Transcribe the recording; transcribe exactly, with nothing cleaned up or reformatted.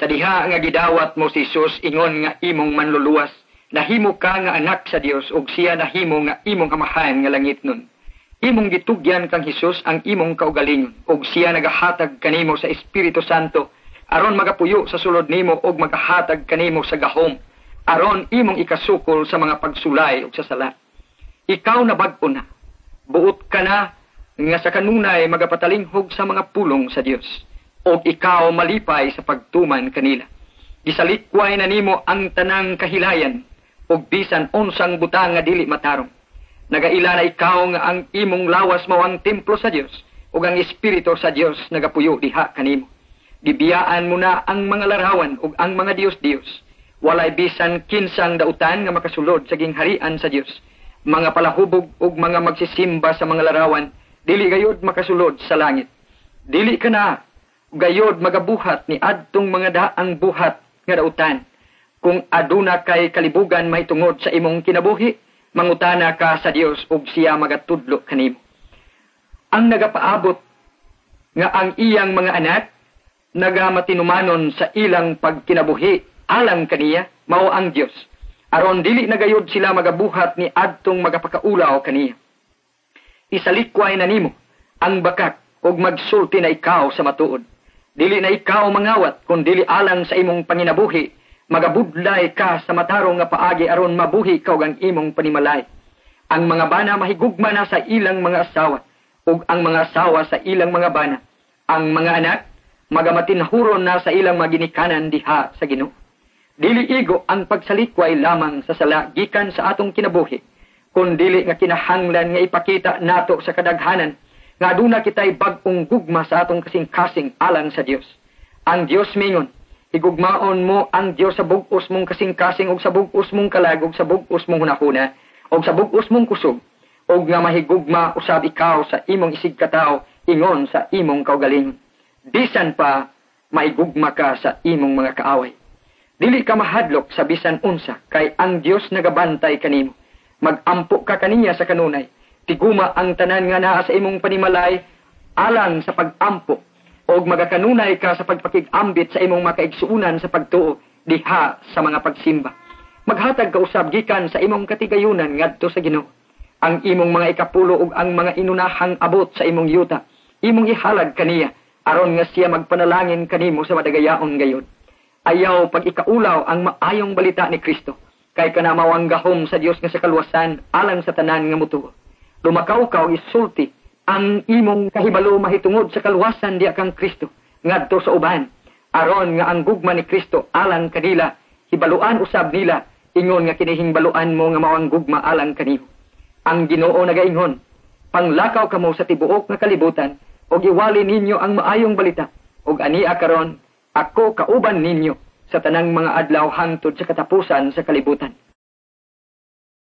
Sa diha nga gidawat mo si Jesus ingon nga imong manluluwas, nahimo ka nga anak sa Dios ug siya nahimo nga imong Amahan nga langitnon. Imong gitugyan kang Hesus ang imong kaugalingon ug siya nagahatag kanimo sa Espiritu Santo aron magapuyo sa sulod nimo ug magahatag kanimo sa gahom aron imong ikasukol sa mga pagsulay ug sa sala. Ikaw na bag-o na. Buot ka na nga sa kanunay magapatalinghog sa mga pulong sa Dios ug ikaw malipay sa pagtuman kanila. Gisalikway na nimo ang tanang kahilayan ug bisan unsang butang nga dili matarong. Nagaila na ikaw nga ang imong lawas mao ang templo sa Dios ug ang espiritu sa Dios nagapuyo diha kanimo. Gibiyaan mo na ang mga larawan ug ang mga dios-dios. Walay bisan kinsang dautan nga makasulod sa gingharian sa Dios. Mga palahubog ug mga magsisimba sa mga larawan dili gayod makasulod sa langit. Dili ka na gayod magabuhat ni adtong mga daang buhat nga dautan. Kung aduna kay kalibugan mahitungod sa imong kinabuhi, mangutana ka sa Dios ug siya magatudlo kanimo. Ang nagapaabot nga ang iyang mga anak nagamatinumanon sa ilang pagkinabuhi alang kaniya mao ang Dios. Aron dili na gayod sila magabuhat ni adtong magapakaulaw kaniya. Isalikway na nimo ang bakak ug magsulti na ikaw sa matuod. Dili na ikaw mangawat kun dili alang sa imong panginabuhi, magabudlay ka sa matarong nga paagi aron mabuhi ka ug ang imong panimalay. Ang mga bana mahigugma na sa ilang mga asawa ug ang mga asawa sa ilang mga bana. Ang mga anak magamatinhuron na sa ilang mga ginikanan diha sa Ginoo. Dili igo ang pagsalikway lamang sa sala gikan sa atong kinabuhi, kun dili nga kinahanglan nga ipakita nato sa kadaghanan nga aduna kitay bag-ong gugma sa atong kasing-kasing alang sa Dios. Ang Dios mingon, higugmaon mo ang Dios sa bug-os mong kasing-kasing ug sa bug-os mong kalag ug sa bug-os mong hunahuna ug sa bug-os mong kusog ug nga mahigugma usab ikaw sa imong isigkatawo ingon sa imong kaugalingon. Bisan pa mahigugma ka sa imong mga kaaway. Dili ka mahadlok sa bisan unsa kay ang Dios nagabantay kanimo. Magampo ka kaniya sa kanunay. Tiguma ang tanan nga naa sa imong panimalay alang sa pagampo og magakanunay ka sa pagpakig-ambit sa imong makaigsuonan sa pagtuo diha sa mga pagsimba. Maghatag ka usab gikan sa imong katigayunan ngadto sa Ginoo. Ang imong mga ikapulo ug ang mga inunahang abot sa imong yuta, imong ihalad kaniya aron nga siya magpanalangin kanimo sa madagayaon gayod. Ayaw pag-ikaulaw ang maayong balita ni Kristo, kay kana mao ang gahom sa Dios nga sa kaluwasan alang sa tanan nga mutuo. Lumakaw ka og isulti ang imong kahibalo mahitungod sa kaluwasan diha kang Kristo ngadto sa uban, aron nga ang gugma ni Kristo alang kanila hibaluan usab nila ingon nga kinihingbaluan mo nga mao ang gugma alang kanimo. Ang Ginoo nagaingon, panglakaw kamo sa tibuok nga kalibutan ug iwali ninyo ang maayong balita, ug ania karon ako kauban ninyo sa tanang mga adlaw hangtod sa katapusan sa kalibutan.